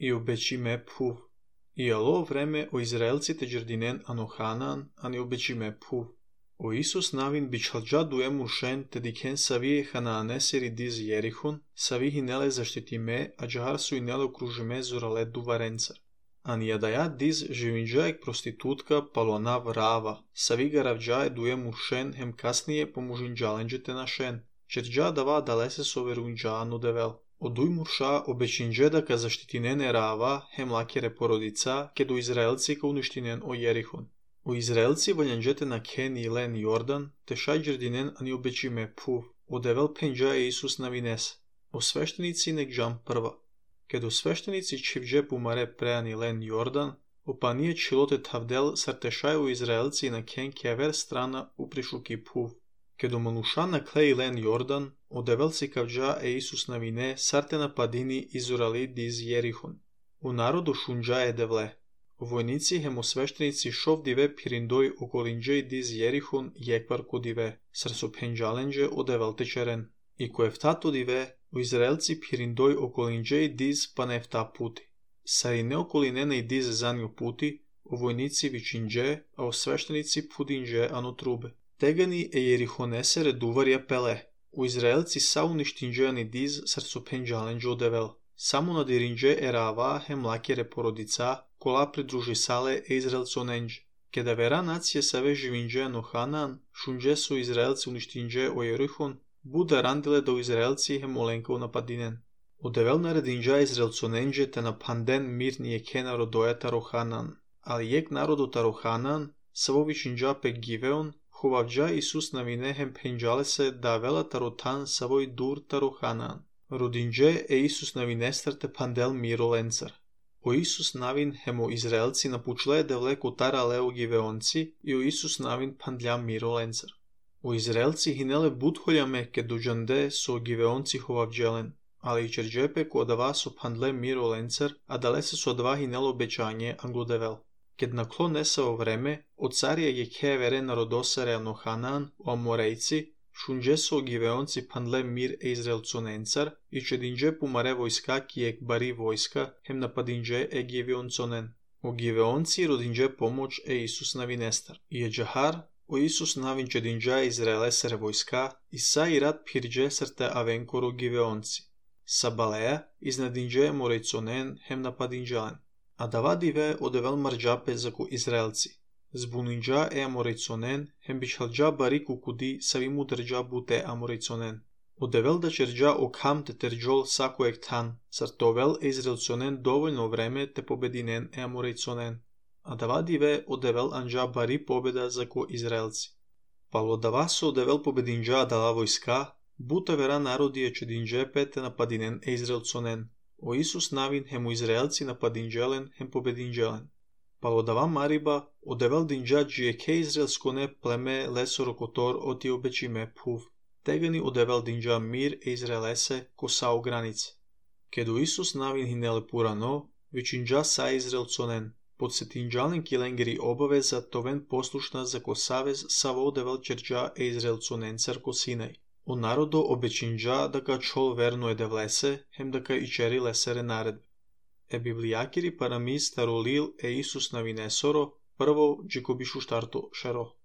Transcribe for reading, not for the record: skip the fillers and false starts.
и обечиме пув. И ало време о израелците джердинен ано Ханаан, ани обечиме пув. O Isus navin bičhalđa duem uršen te diken savije Hanaanесери диз Jerichun, savi hinele zaštitime, a džahar su inele okružime zurale duvarencar. An jadaja diz živinđaek prostitutka palonav rava, savi garavđae duem uršen hem kasnije pomužinđalenđe te našen, čerđa dava dalese soverunđa anu devel. Oduj murša obečinđe da ka zaštitinene rava hem lakere porodica, ke do Izraelci ka uništinen o Jerichun. U Izraelci valjanđete na Ken i Len Jordan, te šaj džerdinen ani obečime puv, odevel penđa je Isus na vines. O sveštenici nek džam prva. Kedo sveštenici čivđe pumare preani Len Jordan, opanije čilote tavdel sartešaj u Izraelci na Ken kever strana uprišuki puv. Kedo manuša na klej Len Jordan, odevel si kavđa je Isus na vine sarte na padini izurali diz Jerichun. U narodu šunđa je devle. Vojnici hemosveštenici šov dive pirindoj okolinđe diz Jerichun jekvar ko dive, srso penđalenđe odevel tečeren. I ko eftato dive, u Izraelci pirindoj okolinđe diz pa nefta puti. Sari ne okolinene diz zanju puti, o vojnici vičinđe, a o sveštenici pudinđe anu trube. Tegani e Jerichonesere duvarja pele. U Izraelci sa uništinđe ani diz srso penđalenđe odevel. Samo nadirinđe erava hem lakere porodica, kola pridruži sale e Izraelconenđ. Keda vera nacije save živinđe no Hanan, šunđe su Izraelci uništinđe o Jerichon, buda randile do Izraelci hem olenkov napadinen. Odevel naredinđa Izraelconenđe te na panden mirnije ke narodoja taro Hanan. Ali jek narodu taro Hanan, savo vičinđa pe Giveon, hovavđa Isus na vine hem penđale se da vela tarotan savoj dur taro Hanan. Rodinđe e Isus na vinestarte pandel miro lencar. O Isus navin hemo Izraelci napučle devle kutara leo Giveonci i o Isus navin pandlja miro lencar. O Izraelci hinele budholjame ke dođande so Giveonci hovavđelen, ali i čerđepe ko odava so pandle miro lencar, a dalese so odava hinelo obećanje anglodevel. Ked naklo nesao vreme, od carija je kevere narodosare ano Hanan o Amorejci, šunđe so Giveonci pandle mir e Izraelconencar i čedinđe pumare vojska kijek bari vojska hem napadinđe e Giveonconen. O Giveonci rodinđe pomoć e Isus na vinestar. I je džahar, o Isus navin čedinđa Izraelesere vojska i sa i rat pirđe srte avenkoro Giveonci. Sa baleja iznadinđe morejconen hem napadinđalen. A davadive odevel marđape zaku Izraelci. Zbuninđa e Amorejconen, hem bičhalđa bariku kudi savimu drđa bute Amorejconen. Odevel da čerđa okham te terđol sako ek tan, sartovel e Izraelconen dovoljno vreme te pobedinen e Amorejconen. A davadive odevel anđa bari pobeda zako Izraelci. Palo davaso odevel pobedinđa dala vojska, buta vera narodije čedinđe pete napadinen e Izraelconen. O Isus navin hemu Izraelci napadinđelen hem pobedinđelen. Palodava mariba odevel dinđa džijeke Izraelskone pleme lesorokotor oti obečime puv. Tegani odevel dinđa mir e Izraelese ko sao granice. Kedu Isus navin hinele purano, vičinđa sa Izraelconen. Podsetinđalen kilengeri obaveza toven poslušna za ko savez savo odevel čerđa e Izraelconencar ko Sinaj. O narodo obečinđa da ka čol verno edevlese, hem da ka ičeri lesere naredbe. E biblijakiri parami starolil e Isus na vinesoro, prvo džikobišu štarto šero.